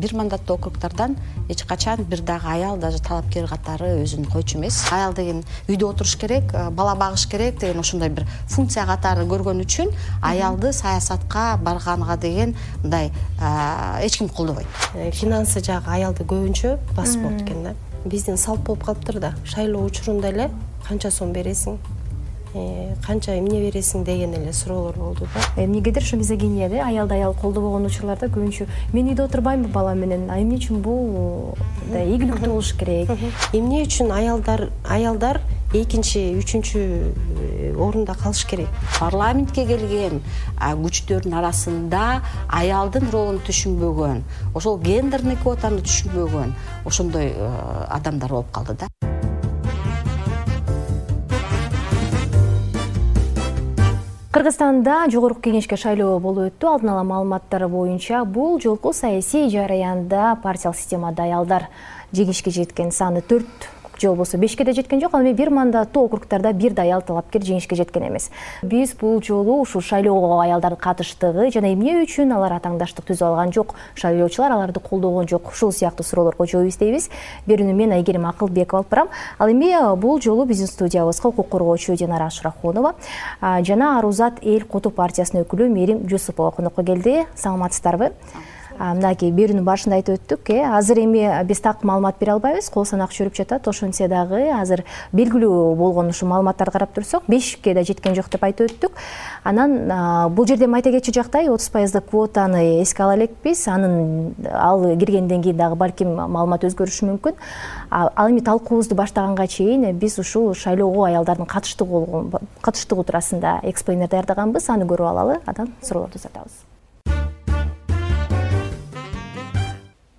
бир мандаттуу округдардан эч качан бир дагы аял даже талапкер катары өзүн койчу эмес. Аял деген үйдө отуруш керек, бала багыш керек деген ошондой бир функция катары көргөн үчүн аялды саясатка барганга деген мындай эч ким колдобойт. Финансы жагы аялды көбүнчө басып болот экен да. Биздин салт болуп калыптыр да. Шайлоо учурунда эле канча сом бересиң, канча эмне бересиң деген эле суроолор болду да. Эмнегедир ушу мизогинияда аялды аял колдобогон учурларда көбүнчө мен үйдө отурбаймынбы балам менен, эмне үчүн бул ийгиликтүү болуш керек? Эмне үчүн аялдар экинчи, үчүнчү орунда калыш керек? Парламентке келген күчтөрдүн арасында аялдын ролун түшүнбөгөн, ошол гендерный квотаны түшүнбөгөн ошондой адамдар болуп калды да. Кыргызстанда жогорку кеңешке шайлоо болуп өттү. Алдын ала маалыматтар боюнча бул жолку саясий жараянда партиялык системада аялдар жеңишке жеткен саны 4 же болбосо 5ке да жеткен жок. Ал эми бир мандаттуу округдарда бир да аял талапкер жеңишке жеткен эмес. Биз бул жолу ушул шайлоого аялдардын катыштыгы жана эмне үчүн алар атаңдаштык түзүп алган жок, шайлоочулар аларды колдогон жок, ушул сыяктуу суроолорго жооп издейбиз. Берүүнү мен Айгерим Акылбекова алып барам. Ал эми бул жолу биздин студиябызга укук коргоочу Динара Ашрахунова жана Арузат эл кото партиясынын өкүлү Мерим Жусупова конокко келди. Саламатсыздарбы? Мынакей берүүнүн башында айтып өттүк, азыр эми биз так маалымат бере албайбыз, кол санак жүрүп жатат. Ошентсе дагы азыр белгилүү болгон ушу маалыматтарды карап турсак, 5ке да жеткен жок деп айтып өттүк. Анан бул жерде айта кетчү жактай 30% квотаны эске ала элекпиз. Ал киргенден кийин дагы балким маалымат өзгөрүшү мүмкүн. Ал эми талкуубузду баштаганга чейин биз ушул шайлоого аялдардын катыштыгы туурасында эксплейнер даярдаганбыз. Аны көрүп алалы, анан суроолорду узатабыз.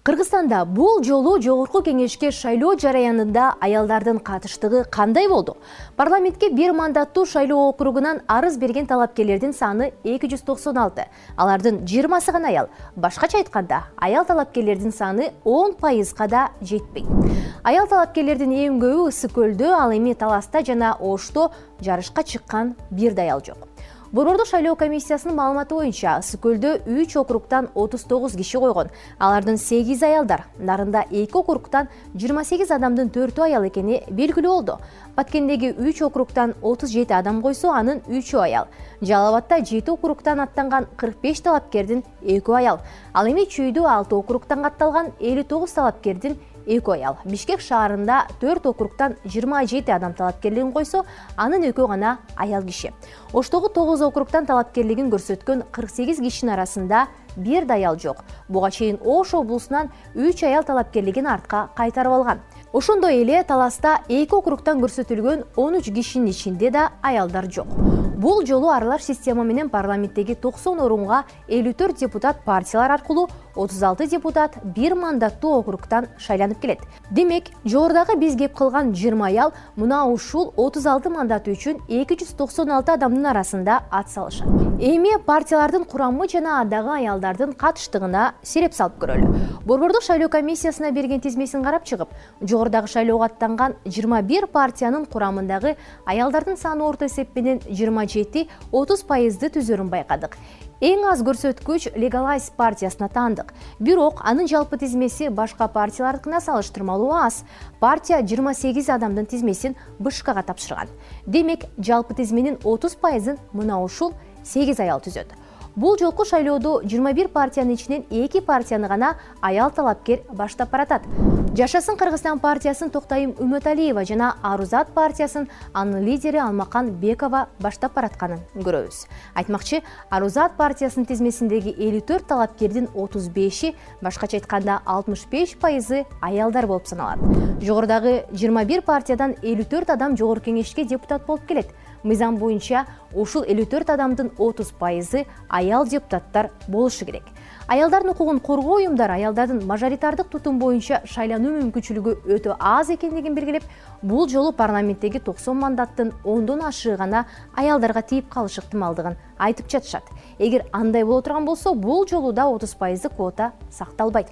Кыргызстанда бул жолу жогорку кеңешке шайлоо жараянында аялдардын катыштыгы кандай болду? Парламентке бир мандаттуу шайлоо округунан арыз берген талапкерлердин саны 296. Алардын 20сы гана аял. Башкача айтканда, аял талапкерлердин саны 10%га да жетпейт. Аял талапкерлердин эң көбү Ысык көлдө, ал эми Таласта жана Ошто жарышка чыккан бир да аял жок. Борбордук шайлоо комиссиясынын маалыматы боюнча Ысык көлдө 3 округтан 39 киши койгон. Алардын 8 аялдар. Нарында 2 округтан 28 адамдын 4 аял экени белгилүү болду. Баткендеги 3 округтан 37 адам койсо, анын 3 аял. Жалал Абадта 7 округтан аттанган 45 талапкердин 2 аял. Ал эми Чүйдө 6 округтан катталган 59 талапкердин 2 аял. Бишкек шаарында 4 округтан 27 адам талапкерлигин койсо, анын 2 гана аял киши. Оштогу 9 округтан талапкерлигин көрсөткөн 48 кишинин арасында бир да аял жок. Буга чейин Ош облусунан 3 аял талапкерлигин артка кайтарып алган. Ошондой эле Таласта 2 округтан көрсөтүлгөн 13 кишинин ичинде да аялдар жок. Бул жолу аралаш система менен парламенттеги 90 орунга 54 депутат партиялар аркылуу 36 депутат бир мандаттуу округтан шайланып келет. Демек, жогорудагы биз кеп кылган 20 аял мына ушул 36 мандат үчүн 296 адамдын арасында ат салышат. Эми партиялардын курамы жана адагы аялдардын катыштыгына сереп салып көрөлү. Борбордук шайлоо комиссиясына берген тизмесин карап чыгып, жогорудагы шайлоого аттанган 21 партиянын курамындагы аялдардын саны орто эсеп менен 27-30%ды түзөрүн байкадык. Эң аз көрсөткүч Legalize партиясына таандык. Бирок анын жалпы тизмеси башка партиялардыкына салыштырмалуу аз. Партия 28 адамдын тизмесин БШКга тапшырган. Демек, жалпы тизменин 30%ын мына ушул 8 аял түзөт. Бул жолку шайлоодо 21 партиянын ичинен 2 партияны гана аял талапкер баштап баратат. Жашасын Кыргызстан партиясын Токтайым Үмөталиева жана Арузат партиясын анын лидери Алмакан Бекова баштап баратканын көрөбүз. Айтмакчы, Арузат партиясынын тизмесиндеги 54 талапкердин 35-и, башкача айтканда 65%ы аялдар болуп саналат. Жогорудагы 21 партиядан 54 адам жогорку кеңешке депутат болуп келет. Мыйзам боюнча ушул 54 адамдын 30%ы аял депутаттар болушу керек. Аялдардын укугун коргоо уюмдары аялдардын мажоритардык тутум боюнча шайлануу мүмкүнчүлүгү өтө аз экендигин белгилеп, бул жолу парламенттеги 90 мандаттын 10дон ашыгы гана аялдарга тийип калыш ыктымалдыгын айтып жатышат. Эгер андай боло турган болсо, бул жолу да 30% квота сакталбайт.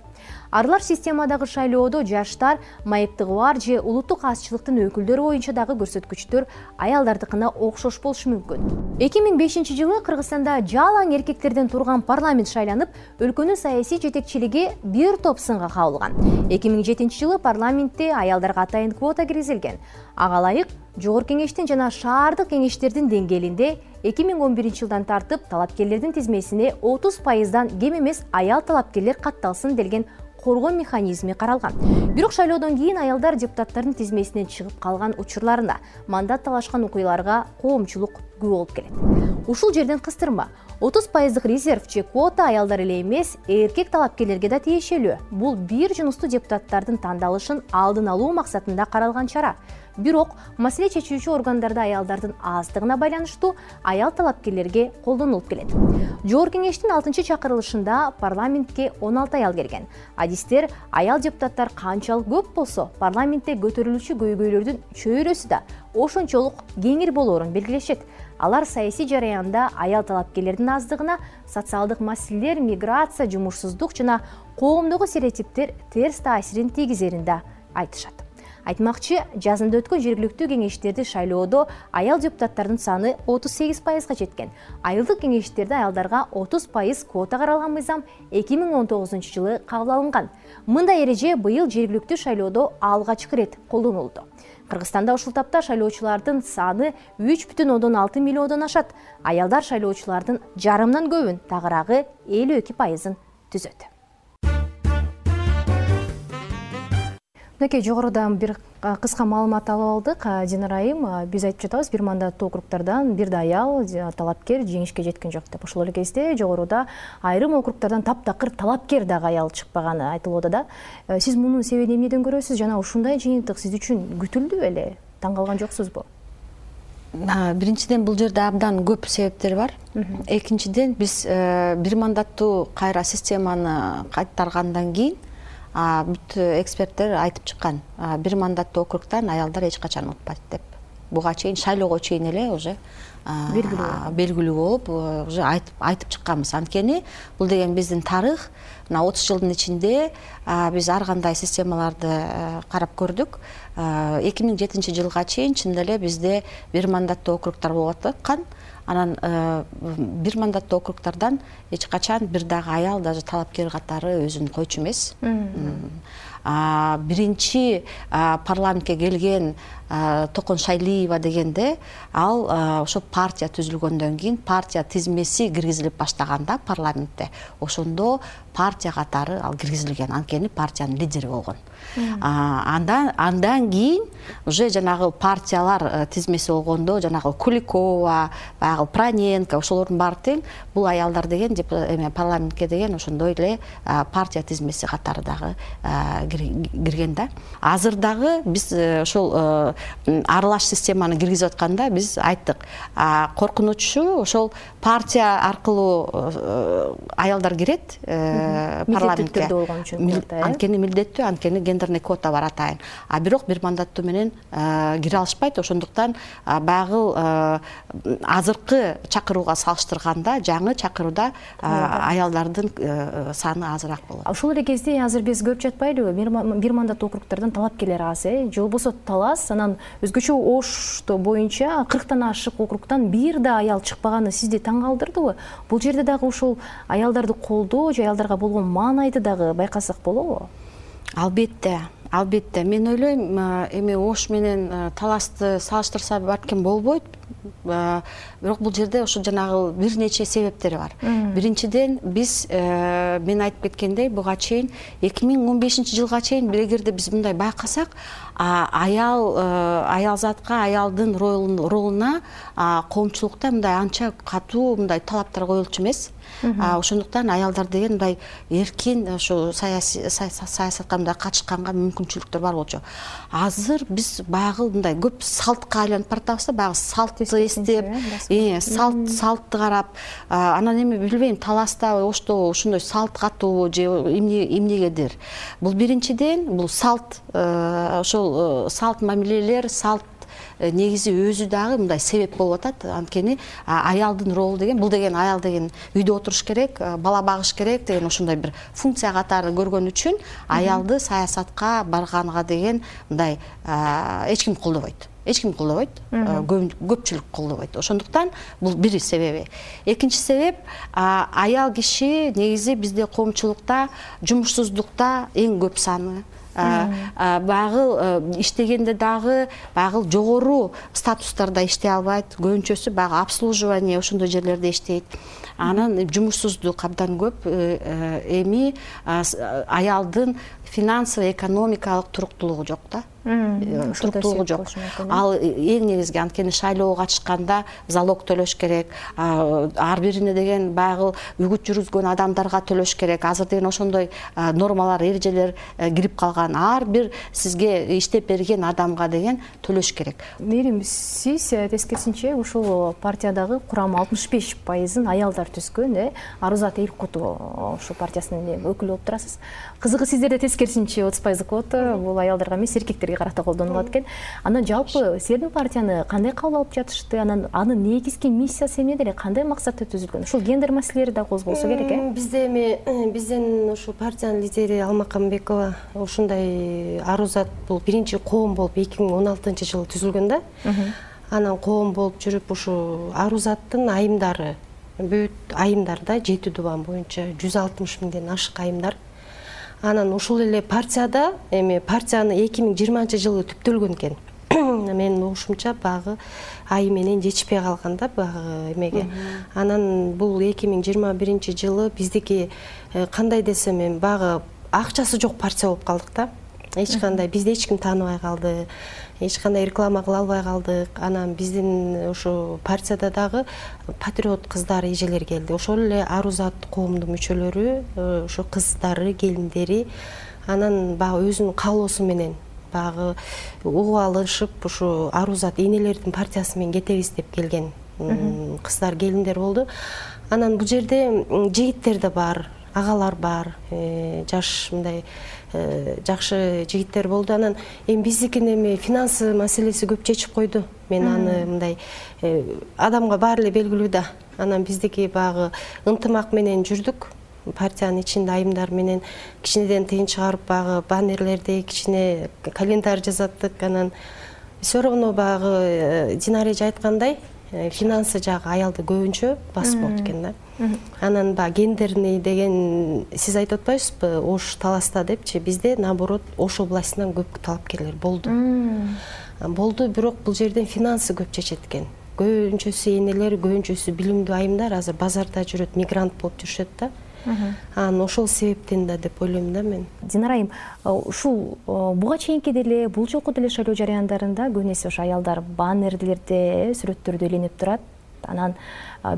Аралаш системадагы шайлоодо жаштар, майыптыгы бар же улуттук азчылыктын өкүлдөрү боюнча дагы көрсөткүчтөр аялдардыкына окшош болушу мүмкүн. 2005-жылы Кыргызстанда жалаң эркектерден турган парламент шайланып, өлкөнүн саясий жетекчилиги бир топ сынга кабылган. 2007-жылы парламентте аялдарга атайын квота киргизилген. Ага ылайык Жогорку кеңештин жана шаардык кеңештердин деңгээлинде 2011-жылдан тартып талапкерлердин тизмесине 30%дан кем эмес аял талапкерлер катталсын делген коргоо механизми каралган. Бирок шайлоодон кийин аялдар депутаттардын тизмесинен чыгып калган учурларына, мандат талашкан окуяларга коомчулук күбө болуп келет. Ушул жерден кыстырма. 30% резерв же квота аялдар эле эмес, эркек талапкерлерге да тиешелүү. Бул бир жунустуу депутаттардын тандалышын алдын алуу максатында каралган чара. Бирок маселе чечүүчү органдарда аялдардын аздыгына байланыштуу аял талапкерлерге колдонулуп келет. Жогорку кеңештин 6-чакырылышында парламентке 16 аял келген. Адистер аял депутаттар канчалык көп болсо, парламентте көтөрүлүүчү көйгөйлөрдүн чөйрөсү да ошончолук кеңир болоорун белгилешет. Алар саясий жараянда аял талапкерлердин аздыгына социалдык маселелер, миграция, жумушсуздук жана коомдогу стереотиптер терс таасирин тийгизерин да айтышат. Айтмакчы, жазында өткөн жергиликтүү кеңештерди шайлоодо аял депутаттардын саны 38%га жеткен. Айылдык кеңештерде аялдарга 30% квота каралган мыйзам 2019-жылы кабыл алынган. Мындай эреже быйыл жергиликтүү шайлоодо алгачкы ирет колдонулду. Кыргызстанда ушул тапта шайлоочулардын саны 3,6 миллиондон ашат. Аялдар шайлоочулардын жарымдан көбүн, тагыраагы 52%ын түзөт. Мынакей жогоруда бир кыска маалымат алып алдык. Динара айым, биз айтып жатабыз, бир мандаттуу округдардан бир да аял талапкер жеңишке жеткен жок деп. Ошол эле кезде жогоруда айрым округдардан таптакыр талапкер дагы аял чыкпаганы айтылууда да. Сиз мунун себебин эмнеден көрөсүз жана ушундай жыйынтык сиз үчүн күтүлдү беле? Таң калган жоксузбу? Биринчиден, бул жерде абдан көп себептер бар. Экинчиден, биз бир мандаттуу кайра системаны кайтаргандан кийин бүт эксперттер айтып чыккан, бир мандаттуу округтан аялдар эч качан утпайт деп. Буга чейин шайлоого чейин эле уже белгилүү болуп, уже айтып чыкканбыз. Анткени бул деген биздин тарых. Мына 30 жылдын ичинде биз ар кандай системаларды карап көрдүк. 2007 жылга чейин чын эле бизде бир мандаттуу округдар болуп аткан. Анан бир мандаттуу округдардан эч качан бир дагы аял даже талапкер катары өзүн койчу эмес. Биринчи парламентке келген Токон Шайлиева дегенде, ал ошо партия түзүлгөндөн кийин партия тизмеси киргизилип баштаганда парламентте, ошондо партия катары ал киргизилген, анткени партиянын лидери болгон. Андан кийин уже жанагы партиялар тизмеси болгондо, жанагы Куликова, баягы Проненко, ошолордун баары тең бул аялдар деген парламентке деген ошондой эле партия тизмеси катары дагы кирген да. Азыр дагы биз ошол аралаш системаны киргизип атканда биз айттык, коркунучу ошол партия аркылуу аялдар кирет парламентке. Анткени милдеттүү, анткени гендерный квота бар атайын. Бирок бир мандаттуу менен кире алышпайт. Ошондуктан баягы азыркы чакырууга салыштырганда жаңы чакырууда аялдардын саны азыраак болот. Ошол эле кезде азыр биз көп жатпайлыбы? Бир мандаттуу округдардан талапкерлер аз, же болбосо талас, анан өзгөчө Ошто боюнча 40тан ашык округдан бир да аял чыкпаганы сизди таң калтырдыбы? Бул жерде дагы ушул аялдарды колдоо же аялдарга болгон маанайды дагы байкасак болобу? Албетте. Мен ойлойм, эми Ош менен Таласты салыштырса балким болбойт. Бирок бул жерде ошо жанагы бир нече себептери бар. Биринчиден, биз мен айтып кеткендей, буга чейин 2015 жылга чейин эгерде биз мындай байкасак, аялзатка, аялдын ролуна коомчулукта мындай анча катуу мындай талаптар коюлчу эмес. Ошондуктан аялдар деген мындай эркин ошо саясатка мындай катышканга мүмкүнчүлүктөр бар болчу. Азыр биз баягы мындай көп салтка айланып баратабыз да, баягы салтты эстеп, салтты карап, анан эми билбейм, Таласта, Ошто ушундай салт катуу же эмнегедир. Бул биринчиден, бул салт, ошол салт мамилелер, салт негизи өзү дагы мындай себеп болуп атат. Анткени аялдын ролу деген, бул деген аял деген үйдө отуруш керек, бала багыш керек деген ошондой бир функция катары көргөн үчүн аялды саясатка барганга деген мындай эч ким колдобойт. эч ким колдобойт, көпчүлүк колдобойт. Ошондуктан бул бир себеби. Экинчи себеп, аял киши негизи бизде коомчулукта жумушсуздукта эң көп саны. Багыл иштегенде дагы багыл жогору статустарда иштей албайт, көбүнчөсү багы обслуживание ошондой жерлерде иштейт. Анан жумушсуздук абдан көп. Эми аялдын финансовый экономикалык туруктуулугу жок да. Туруктуулугу жок. Ал эң негизги, анткени шайлоого катышканда залог төлөш керек, ар бирине деген багыл үгүт жүргүзгөн адамдарга төлөш керек. Азыр деген ошондой нормалар, эрежелер кирип калган. Ар бир сизге иштеп берген адамга деген төлөш керек. Мээрим, сиз тескерисинче ушул партиядагы курам 65%-ын аялдар түзгөн, Арузат Элкутова ушул партиясынын өкүлү болуп турасыз. Кызыгы сиздерде тескерисинче 30% квота бул аялдарга эмес, эркектерге карата колдонулат экен. Анан жалпы силердин партияны кандай кабыл алып жатышты? Анын негизги миссиясы эмне деле, кандай максатта түзүлгөн? Ушул гендер маселелери да козголсо керек, Бизде биздин ушул партиянын лидери Алмакамбекова ушундай Арузат бул биринчи коом болуп 2016-жылы түзүлгөн да. Анан коом болуп жүрүп ушу Арузаттын айымдары, бүт айымдарда 7 дубан боюнча 160 миңден ашык айымдар. Анан ушул эле партияда партияны 2020-жылы түптөлгөн экен. Менин угушумча багы айым менен жетишпей калган да багы эмеге. Анан бул 2021-жылы биздики кандай десем, багы акчасы жок партия болуп калдык да. Эч кандай бизди эч ким тааныбай калды, эч кандай реклама кыла албай калдык. Анан биздин ушу партияда дагы патриот кыздар, эжелер келди. Ошол эле Арузат коомдун мүчөлөрү, ошо кыздары, келиндери анан багы өзүнүн каалоосу менен багы угуп алышып, ушу Арузат энелердин партиясы менен кетебиз деп келген кыздар, келиндер болду. Анан бул жерде жигиттер да бар, агалар бар, жаш мындай жакшы жигиттер болду. Анан биздикин финансы маселеси көп чечип койду. Мен аны мындай адамга баары эле белгилүү да. Анан биздики багы ынтымак менен жүрдүк. Партиянын ичинде айымдар менен кичинеден тыйын чыгарып багы баннерлерди, кичине календарь жазаттык. Анан все равно багы Динара эже айткандай, финансы жагы аялды көбүнчө басып болот экен да. Анан гендерный деген сиз айтып атпайсызбы, Ош Таласта депчи, бизде наоборот Ош областынан көп талапкерлер болду. Болду, бирок бул жерден финансы көп чечет экен. Көбүнчөсү энелер, көбүнчөсү билимдүү айымдар азыр базарда жүрөт, мигрант болуп жүрүшөт да. Анан ошол себептен да деп ойлойм да мен. Динара айым, ушул буга чейинки деле, бул жолку деле шайлоо жарыяндарында көбүнесе ошо аялдар баннерлерде, сүрөттөрдө иленип турат. Анан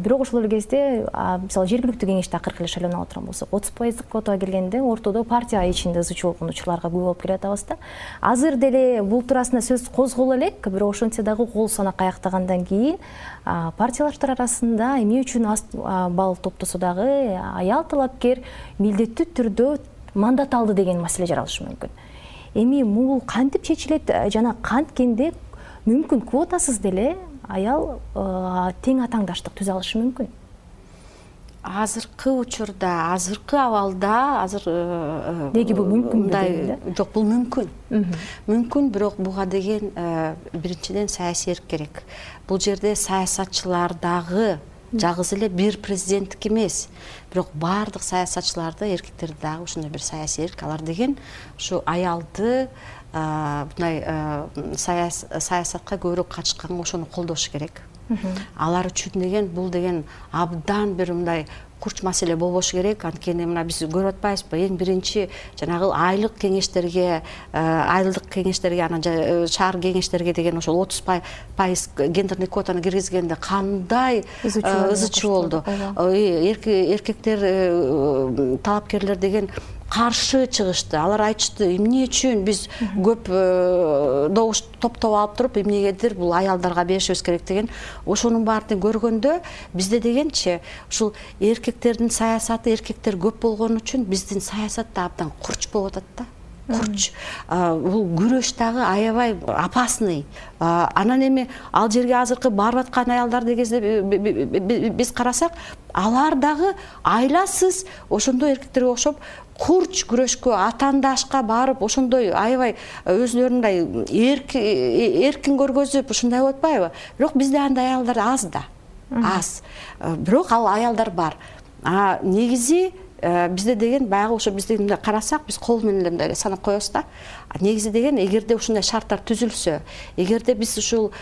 бирок ошол эле кезде, мисалы жергиликтүү кеңеште акыркы эле шайлоону алып турган болсок, 30% квотага келгенде ортодо партия ичинде ызы чуу болгон учурларга күбө болуп келатабыз да. Азыр деле бул туурасында сөз козголо элек, бирок ошентсе дагы кол санак аяктагандан кийин партиялаштар арасында эмне үчүн аз балл топтосо дагы аял талапкер милдеттүү түрдө мандат алды деген маселе жаралышы мүмкүн. Эми бул кантип чечилет жана канткенде мүмкүн квотасыз деле аял тең атаңдаштык түзө алышы мүмкүн? Азыркы учурда, азыркы абалда, неге бул мүмкүн да? Жок, бул мүмкүн. Мүмкүн, бирок буга деген биринчиден саясий эрк керек. Бул жерде саясатчылар дагы жалгыз эле бир президенттик эмес, бирок баардык саясатчыларды, эркектерди дагы ушундай бир саясий эрк. Алар деген ушу аялды мындай саясатка көбүрөөк катышканга ошону колдош керек. Алар үчүн деген бул деген абдан бир мындай курч маселе болбошу керек. Анткени мына биз көрүп атпайбызбы, эң биринчи жанагы айлык кеңештерге, анан шаар кеңештерге деген ошол 30% гендерный квотаны киргизгенде кандай ызы чуу болду. Эркектер, талапкерлер деген каршы чыгышты. Алар айтышты, эмне үчүн биз көп добуш топтоп алып туруп, эмнегедир бул аялдарга беришибиз керек деген. Ошонун баарын көргөндө бизде дегенчи ушул эркектердин саясаты, эркектер көп болгон үчүн биздин саясат да абдан курч болуп атат да. курч. Бул күрөш дагы аябай опасный. Анан эми ал жерге азыркы барып аткан аялдар дегенде биз карасак, алар дагы айласыз ошондой эркектерге окшоп курч күрөшкө, атаандашка барып, ошондой аябай өзүлөрүндай эркин көргөзүп, ушундай болуп атпайбы? Бирок бизде андай аялдар аз да. Аз. Бирок ал аялдар бар. Негизи бизде деген баягы ошо бизди мындай карасак, биз кол менен эле мындай санап коебуз да. Негизи деген эгерде ушундай шарттар түзүлсө, эгерде биз ушул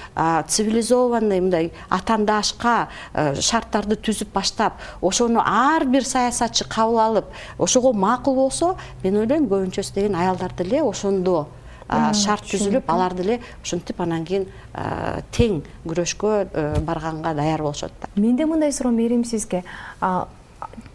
цивилизованный мындай атаандашка шарттарды түзүп баштап, ошону ар бир саясатчы кабыл алып, ошого макул болсо, мен ойлойм көбүнчөсү деген аялдар деле ошондо шарт түзүлүп, алар деле ошентип анан кийин тең күрөшкө барганга даяр болушат да. Менде мындай суроо Мээрим сизге.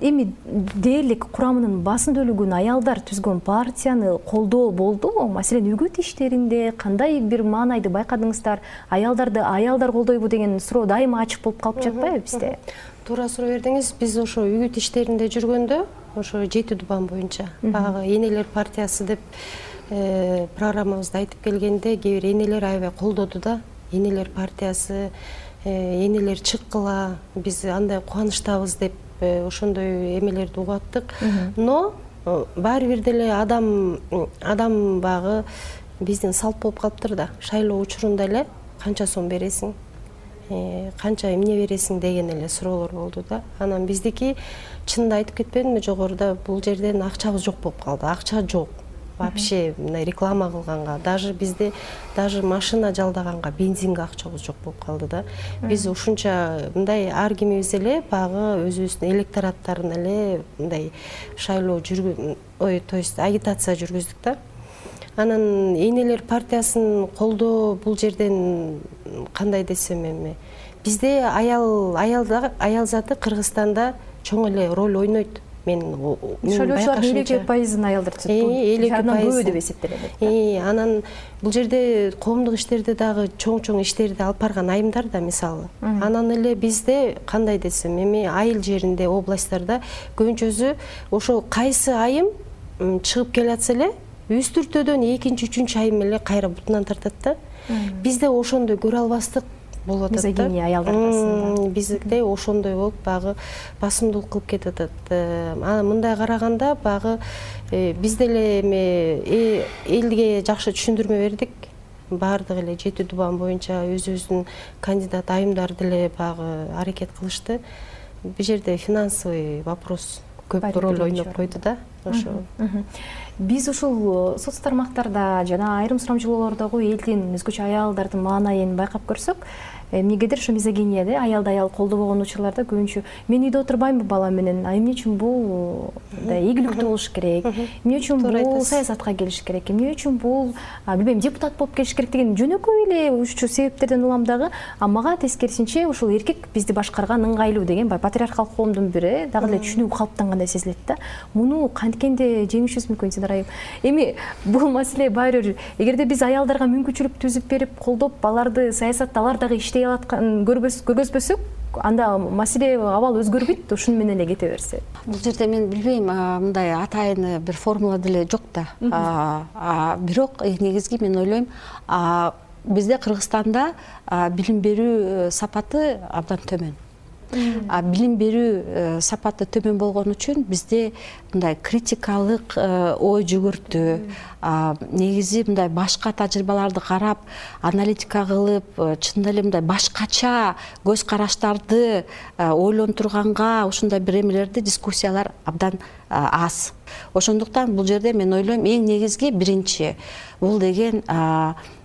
Эми дээрлик курамынын басым бөлүгүн аялдар түзгөн партияны колдоо болдубу? Маселен, үгүт иштеринде кандай бир маанайды байкадыңыздар? Аялдарды аялдар колдойбу деген суроо дайыма ачык болуп калып жатпайбы бизде? Туура суроо бердиңиз. Биз ошо үгүт иштеринде жүргөндө, ошо 7 дубан боюнча баягы энелер партиясы деп программабызда айтып келгенде, кээ бир энелер аябай колдоду да. Энелер партиясы, энелер чыккыла, биз андай кубанычтабыз деп ошондой эмелерди угуп аттык. Но баары бир деле адам багы биздин салт болуп калыптыр да. Шайлоо учурунда эле канча сом бересиң, канча эмне бересиң деген эле суроолор болду да. Анан биздики чынында айтып кетпедимби жогоруда, бул жерден акчабыз жок болуп калды. Акча жок. Вообще мындай реклама кылганга, даже бизде даже машина жалдаганга, бензинге акчабыз жок болуп калды да. Биз ушунча мындай ар кимибиз эле багы өзүбүздүн электораттарын эле мындай шайлоо то есть агитация жүргүздүк да. Анан энелер партиясын колдоо бул жерден кандай десем эми, бизде аял заты Кыргызстанда чоң эле роль ойнойт. Шайлоочулардын 50% аялдар түзөт. 50% деп эсептелет. Анан бул жерде коомдук иштерде дагы чоң иштерди алып барган айымдар да, мисалы. Анан эле бизде кандай десем, эми айыл жеринде, областтарда көбүнчөсү ошо кайсы айым чыгып келатса эле, үстүртөдөн экинчи, үчүнчү айым эле кайра бутунан тартат да. Бизде ошондой көрө албастык болуп атат да. Мизогиния аялдар арасында. Бизде ошондой болуп багы басымдуулук кылып кетип атат. Мындай караганда багы биз деле эми элге жакшы түшүндүрмө бердик. Баардыгы эле 7 дубан боюнча өзүбүздүн кандидат айымдар деле багы аракет кылышты. Бул жерде финансовый вопрос көп роль ойноп койду да. Ошо. Биз ушул соц тармактарда жана айрым сурамжылоолордогу элдин өзгөчө аялдардын маанайын байкап көрсөк, эмнегедир ошо мизогиния аялды аял колдобогон учурларда көбүнчө мен үйдө отурбаймынбы балам менен, эмне үчүн бул ийгиликтүү болуш керек, эмне үчүн бул саясатка келиш керек, эмне үчүн бул билбейм депутат болуп келиш керек деген жөнөкөй эле ушул себептерден улам дагы. Мага тескерисинче ушул эркек бизди башкарган ыңгайлуу деген патриархалдык коомдун бири дагы эле түшүнүү калыптангандай сезилет да. Муну кантикенде жеңишибиз мүмкүн, Сидар айым? Эми бул маселе баары бир, эгерде биз аялдарга мүмкүнчүлүк түзүп берип, колдоп, аларды саясатта алар дагы иштей алаткан көргөзбөсөк, анда маселе абал өзгөрбөйт, ушуну менен эле кете берсе. Бул жерде мен билбейм, мындай атайын бир формула деле жок да. Бирок негизги мен ойлойм, бизде Кыргызстанда билим берүү сапаты абдан төмөн. Билим берүү сапаты төмөн болгон үчүн бизде мындай критикалык ой жүгүртүү, негизи мындай башка тажрыйбаларды карап, аналитика кылып, чындап эле мындай башкача көз караштарды ойлонтурганга ушундай бир эмелерди, дискуссиялар абдан аз. Ошондуктан бул жерде мен ойлойм, эң негизги биринчи бул деген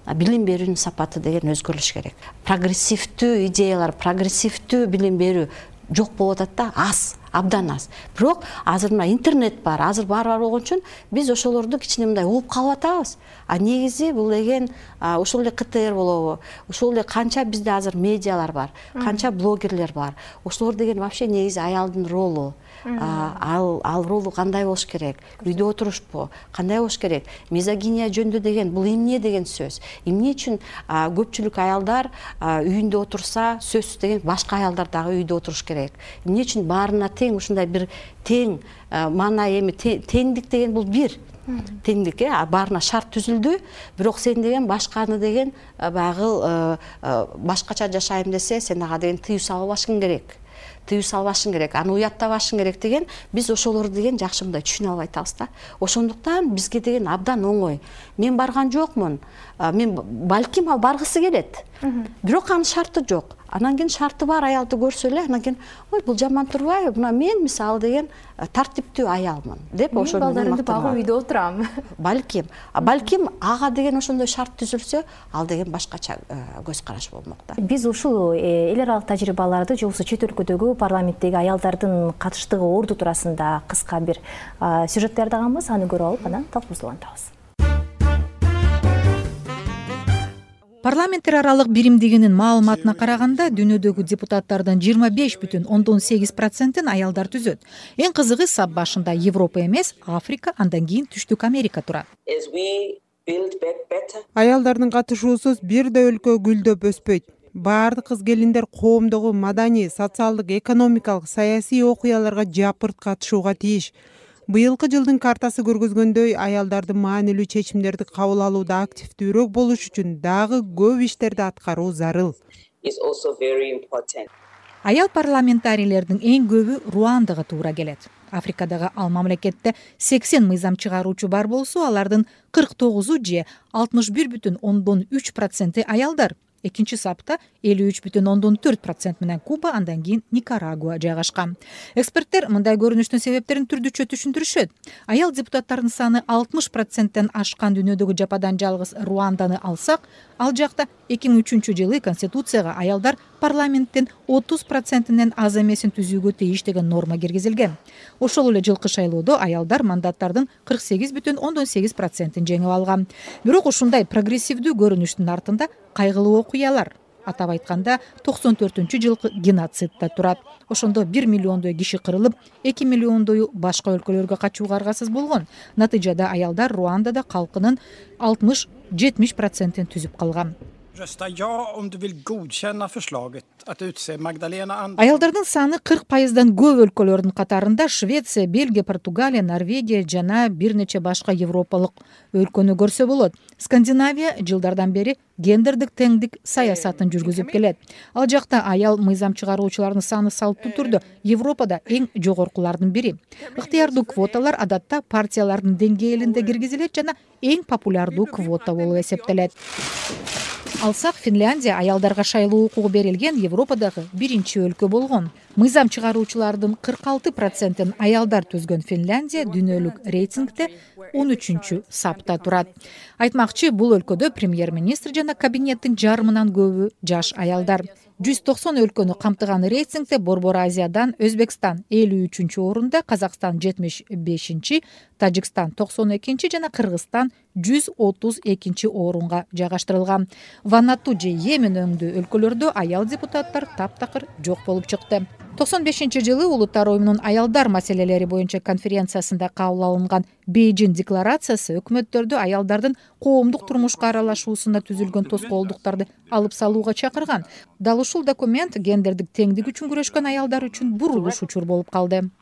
билим берүүнүн сапаты деген өзгөрүлүш керек. Прогрессивдүү идеялар, прогрессивдүү билим берүү жок болуп атат да, аз, абдан аз. Бирок азыр мына интернет бар, азыр бар болгон үчүн биз ошолорду кичине мындай угуп калып атабыз. Негизи бул деген ушул эле КТР болобу, ушул эле канча бизде азыр медиалар бар, канча блогерлер бар. Ошолор деген вообще негизи аялдын ролу. Ал ролу кандай болуш керек? Үйдө отурушпу? Кандай болуш керек? Мизогиния жөнүндө деген бул эмне деген сөз? Эмне үчүн көпчүлүк аялдар үйүндө отурса, сөзсүз деген башка аялдар дагы үйдө отуруш керек? Эмне үчүн баарына тең ушундай бир тең маанай эми теңдик деген бул бир. теңдик, баарына шарт түзүлдү, бирок сен деген башканы деген баягы башкача жашайм десе, сен ага деген тыюу салбашың керек. Аны уяттабашың керек деген, биз ошолорду деген жакшы мындай түшүнө албай атабыз да. Ошондуктан бизге деген абдан оңой. Мен барган жокмун. Мен балким ал баргысы келет. Бирок анын шарты жок. Анан кийин шарты бар аялды көрсө эле, анан кийин ой бул жаман турбайбы? Мына мен мисалы деген тартиптүү аялмын деп ошону балдарымды багып үйдө отурам. Балким ага деген ошондой шарт түзүлсө, ал деген башкача көз караш болмок да. Биз ушул эл аралык тажрыйбаларды же болбосо чет өлкөдөгү парламенттеги аялдардын катыштыгы орду туурасында кыска бир сюжет даярдаганбыз, аны көрүп алып анан талкуубузду улантабыз. Парламенттер аралык биримдигинин маалыматына караганда, дүйнөдөгү депутаттардын 25,8%-ын аялдар түзөт. Эң кызыгы сап башында Европа эмес, Африка, андан кийин Түштүк Америка турат. Аялдардын катышуусуз бир да өлкө гүлдөп өспөйт. Баардык кыз-келиндер коомдогу маданий, социалдык, экономикалык, саясий окуяларга жапырт катышууга тийиш. Быйылкы жылдын картасы көргөзгөндөй, аялдардын маанилүү чечимдерди кабыл алууда активдүүрөөк болуш үчүн дагы көп иштерди аткаруу зарыл. Аял парламентарийлердин эң көбү Руандага туура келет. Африкадагы ал мамлекетте 80 мыйзам чыгаруучу бар болсо, алардын 49 же 61,3% аялдар. Экинчи сапта 53,4% менен Куба, андан кийин Никарагуа жайгашкан. Эксперттер мындай көрүнүштүн себептерин түрдүчө түшүндүрүшөт. Аял депутаттардын саны 60%тен ашкан дүйнөдөгү жападан жалгыз Руанданы алсак, ал жакта 2003 жылы Конституцияга аялдар парламенттин 30%-нен аз эмесин түзүүгө тийиш деген норма киргизилген. Ошол эле жылкы шайлоодо аялдар мандаттардын 48,8%-ин жеңип алган. Бирок ушундай прогрессивдүү көрүнүштүн артында кайгылуу окуялар. Атап айтканда, 94 жылкы геноцид да турат. Ошондо 1 миллиондой киши кырылып, 2 миллиондою башка өлкөлөргө качууга аргасыз болгон. Натыйжада аялдар Руандада калкынын 60-70%-ин түзүп калган. Аялдардын саны 40%дан көп өлкөлөрдүн катарында Швеция, Бельгия, Португалия, Норвегия жана бир нече башка европалык өлкөнү көрсө болот. Скандинавия жылдардан бери гендердик теңдик саясатын жүргүзүп келет. Ал жакта аял мыйзам чыгаруучулардын саны салттуу түрдө Европада эң жогоркулардын бири. Ыктыярдуу квоталар адатта партиялардын деңгээлинде киргизилет жана эң популярдуу квота болуп эсептелет. Алсак, Финляндия аялдарга шайлоо укугу берилген Европадагы биринчи өлкө болгон. Мыйзам чыгаруучулардын 46%-ын аялдар түзгөн Финляндия дүйнөлүк рейтингде 13-чү сапта турат. Айтмакчы, бул өлкөдө премьер-министр жана кабинеттин жарымынан көбү жаш аялдар. 190 өлкөнү камтыган рейтингде Борбор Азиядан Өзбекстан 53-чү орунда, Казакстан 75-чи, Тажикстан 92-чи жана Кыргызстан 132-чи орунга жайгаштырылган. Ванату же Йемен өңдүү өлкөлөрдө аял депутаттар таптакыр жок болуп чыкты. 95-жылы Улуттар оюмунун аялдар маселелери боюнча конференциясында кабыл алынган Бейжин декларациясы өкмөттөрдү аялдардын коомдук турмушка аралашуусуна түзүлгөн тоскоолдуктарды алып салууга чакырган. Дал ушул документ гендердик теңдик үчүн күрөшкөн аялдар үчүн бурулуш учур болуп калды.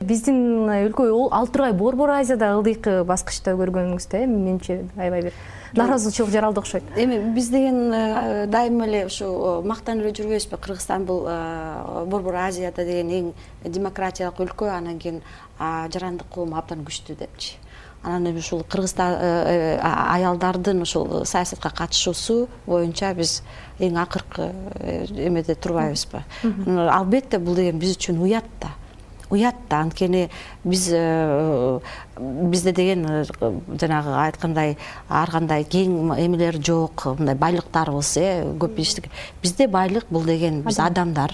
Биздин өлкө ал тургай Борбор Азияда ылдыйкы баскычта көргөнүңүздө, менче аябай бир нааразычылык жаралды окшойт. Эми биз деген дайыма эле ушу мактанып эле жүрбөйбүзбү? Кыргызстан бул Борбор Азияда деген эң демократиялык өлкө, анан кийин жарандык коом абдан күчтүү депчи. Анан эми ушул Кыргызстан аялдардын ушул саясатка катышуусу боюнча биз эң акыркы эмеде турбайбызбы? Албетте бул деген биз үчүн уят да. Анткени бизде деген жанагы айткандай ар кандай кең эмелер жок, мындай байлыктарыбыз көп иштик. Бизде байлык бул деген биз адамдар,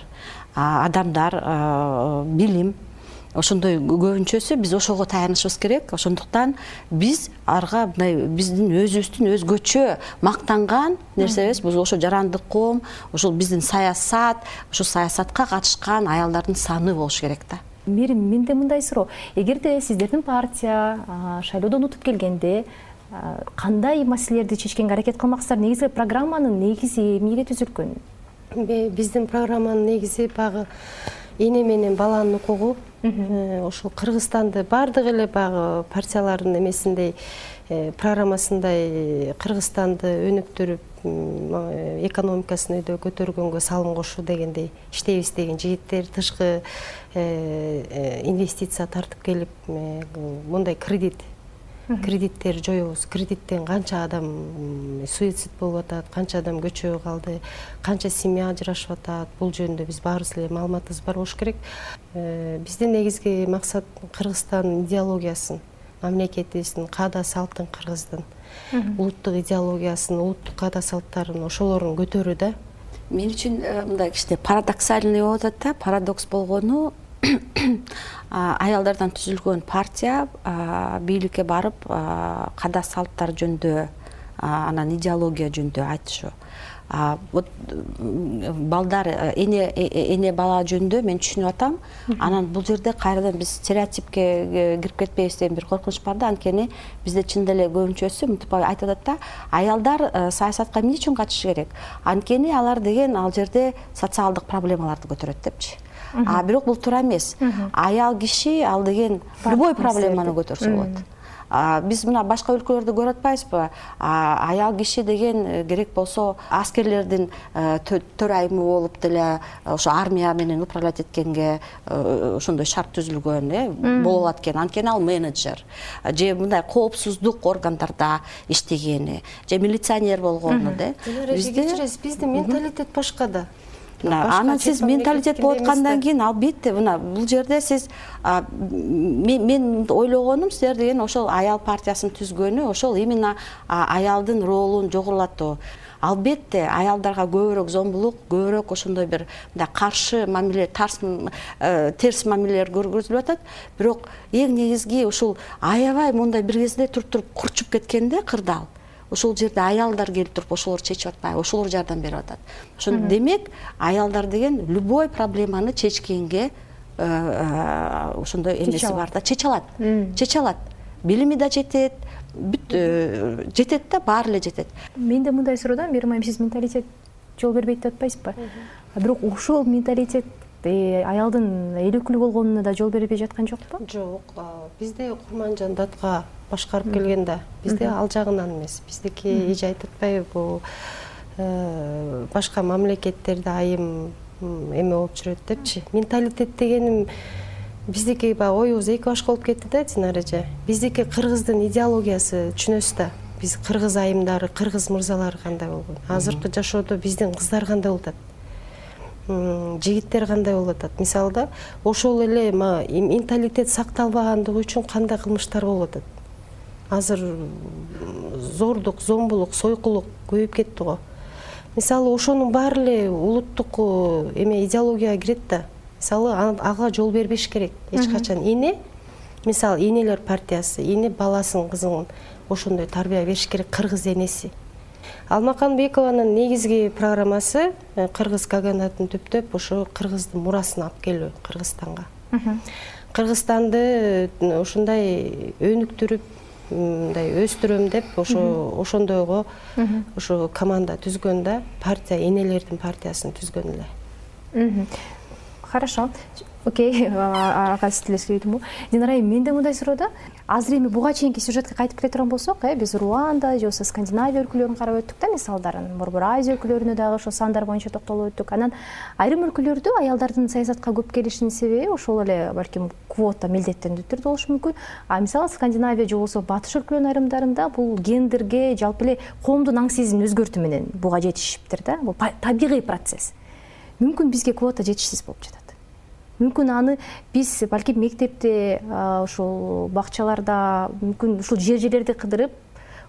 билим, ошондой көбүнчөсү биз ошого таянышыбыз керек. Ошондуктан биз арга мындай биздин өзүбүздүн өзгөчө мактанган нерсебиз бул ошо жарандык коом, ошол биздин саясат, ошол саясатка катышкан аялдардын саны болуш керек да. Менде мындай суроо. Эгерде сиздердин партия шайлоодон утуп келгенде кандай маселелерди чечкенге аракет кылмаксыздар? Негизи программанын негизи эмнеге түзүлгөн? Биздин программанын негизи багы эне менен баланын укугу, ошол Кыргызстанды баардык эле баягы партиялардын эмесиндей программасындай Кыргызстанды өнүктүрүп, экономикасын өйдө көтөргөнгө салым кошуу дегендей иштейбиз деген жигиттер, тышкы инвестиция тартып келип, мындай кредиттер жоебуз. Кредиттен канча адам суицид болуп атат, канча адам көчөгө калды, канча семья ажырашып атат. Бул жөнүндө биз баарыбыз эле маалыматыбыз бар болуш керек. Биздин негизги максат Кыргызстандын идеологиясын, мамлекетибиздин каада салттын, Кыргыздын улуттук идеологиясын, улуттук каада салттарын ошолорун көтөрүү да. Мен үчүн мындай кичине парадоксальный болуп атат да. Парадокс болгону аялдардан түзүлгөн партия бийликке барып каада салттар жөнүндө, анан идеология жөнүндө айтышы. Вот балдар эне бала жөнүндө мен түшүнүп атам. Анан бул жерде кайрадан биз стереотипке кирип кетпейбиз деген бир коркунуч бар да. Анткени бизде чын деле көбүнчөсү мынтип айтып атат да, аялдар саясатка эмне үчүн катышышы керек? Анткени алар деген ал жерде социалдык проблемаларды көтөрөт депчи. Бирок бул туура эмес. Аял киши ал деген любой проблеманы көтөрсө болот. Биз мына башка өлкөлөрдө көрүп атпайбызбы? Аял киши деген керек болсо аскерлердин төрайымы болуп деле ошо армия менен управлять эткенге ошондой шарт түзүлгөн болуп алат экен. Анткени ал менеджер же мындай коопсуздук органдарда иштегени же милиционер болгону да. Биздин менталитет башка да. Анан сиз менталитет болуп аткандан кийин албетте мына бул жерде сиз мен ойлогонум силер деген ошол аял партиясын түзгөнү ошол именно аялдын ролун жогорулатуу. Албетте аялдарга көбүрөөк зомбулук, көбүрөөк ошондой бир мындай каршы мамиле, терс мамилелер көргөзүлүп атат. Бирок эң негизги ушул аябай мындай бир кезде туруп курчуп кеткенде кырдаал. Ошол жерде аялдар келип туруп ошолор чечип атпайбы, ошолор жардам берип атат. Ошондо демек аялдар деген любой проблеманы чечкенге ошондой эмеси бар да, чече алат. Билими да жетет, жетет да, баары эле жетет. Менде мындай суроодан бир майым, сиз менталитет жол бербейт деп атпайсызбы? Бирок ошол менталитет аялдын элөкүлүү болгонуна да жол бербей жаткан жокпу? Жок, бизде Курманжан датка башкарып келген да, бизде ал жагынан эмес. Биздики эже айтып атпайбы, бул башка мамлекеттерде айым эме болуп жүрөт депчи. Менталитет дегеним биздики баягы оюбуз эки башка болуп кетти да, Динара эже. Биздики Кыргыздын идеологиясы түшүнөсүз да. Биз кыргыз айымдары, кыргыз мырзалары кандай болгон. Азыркы жашоодо биздин кыздар кандай болуп атат? Жигиттер кандай болуп атат? Мисалы да, ошол эле менталитет сакталбагандыгы үчүн кандай кылмыштар болуп атат? Азыр зордук, зомбулук, сойкулук көбөйүп кетти го. Мисалы ошонун баары эле улуттук идеологияга кирет да. Мисалы ага жол бербеш керек эч качан. Эне, мисалы энелер партиясы, эне баласын, кызын ошондой тарбия бериш керек, кыргыз энеси. Алмакан Бекованын негизги программасы кыргыз каганатын түптөп ошо кыргыздын мурасын алып келүү Кыргызстанга. Кыргызстанды ушундай өнүктүрүп, мындай өстүрөм деп ошондойго ошо команда түзгөн да, партия, энелердин партиясын түзгөн эле. Хорошо. Окей, ага стилестирдим. Динара айым, менде мындай суроо да. Азыр эми буга чейинки сюжетке кайтып келе турган болсок, биз Руанда же болбосо Скандинавия өлкөлөрүн карап өттүк да, мисалдарын. Борбор Азия өлкөлөрүнө дагы ошо сандар боюнча токтолуп өттүк. Анан айрым өлкөлөрдө аялдардын саясатка көп келишинин себеби ошол эле балким квота милдеттендүү түрдө болушу мүмкүн. Мисалы Скандинавия же болбосо батыш өлкөлөрүнүн айрымдарында бул гендерге, жалпы эле коомдун аң сезимин өзгөртүү менен буга жетишиптир да. Бул табигый процесс. Мүмкүн бизге квота жетишсиз болуп жатат. Мүмкүн аны биз балким мектепте, ушул бакчаларда, мүмкүн ушул жер-жерлерди кыдырып,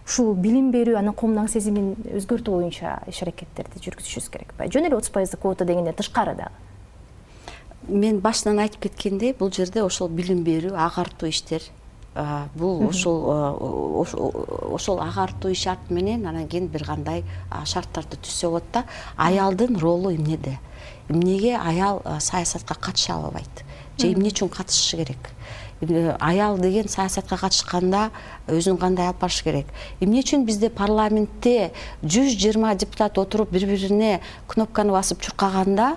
ушул билим берүү, анан коомдун аң сезимин өзгөртүү боюнча иш-аракеттерди жүргүзүшүбүз керек. Жөн эле 30% квота дегенден тышкары дагы. Мен башынан айтып кеткендей, бул жерде ошол билим берүү, агартуу иштер, бул ошол агартуу ишарт менен анан кийин бир кандай шарттарды түзсө болот да. Аялдын ролу эмнеде? Эмнеге аял саясатка катыша албайт? Же эмне үчүн катышышы керек? Аял деген саясатка катышканда өзүн кандай алып барыш керек? Эмне үчүн бизде парламентте 120 депутат отуруп бири-бирине кнопканы басып чуркаганда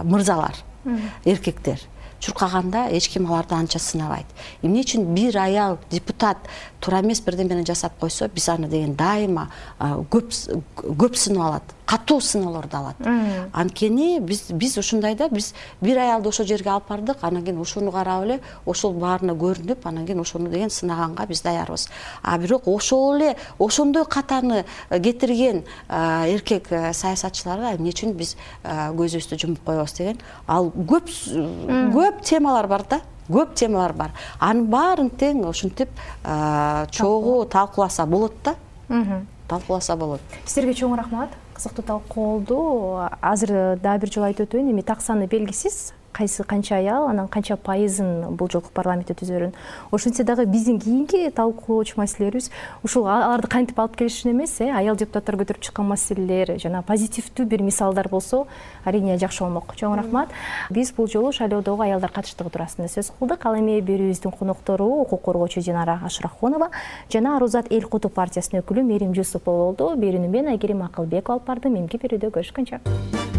мырзалар эркектер. Чуркаганда эч ким аларды анча сынабайт. Эмне үчүн бир аял депутат туура эмес бирдемени жасап койсо, биз аны деген дайыма көп сынып алат, катуу сыноолорду алат. Анткени биз ушундайда биз бир аялды ошол жерге алып бардык, анан кийин ошону карап эле ошол баарына көрүнүп, анан кийин ошону деген сынаганга биз даярбыз. Бирок ошол эле ошондой катаны кетирген эркек саясатчыларга эмне үчүн биз көзүбүздү жумуп коебуз деген ал көп темалар бар да. Көп темалар бар. Анын баарын тең ушинтип чогуу талкууласа болот да. Талкууласа болот. Сиздерге чоң рахмат. Кызыктуу талкуу болду. Азыр дагы бир жолу айтып өтөйүн, эми так саны белгисиз. Кайсы канча аял, анан канча пайызын бул жолку парламентте түзөрүн. Ошентсе дагы биздин кийинки талкуулоочу маселелерибиз ушул аларды кантип алып келишин эмес, аял депутаттар көтөрүп чыккан маселелер, жана позитивдүү бир мисалдар болсо, арийне жакшы болмок. Чоң рахмат. Биз бул жолу шайлоодогу аялдар катыштыгы туурасында сөз кылдык. Ал эми берүүбүздүн коноктору укук коргоочу Динара Ашрахунова жана Арузат эл куту партиясынын өкүлү Мерим Жусупова болду. Берүүнү мен Айгерим Акылбекова алып бардым. Эмки берүүдө көрүшкөнчө.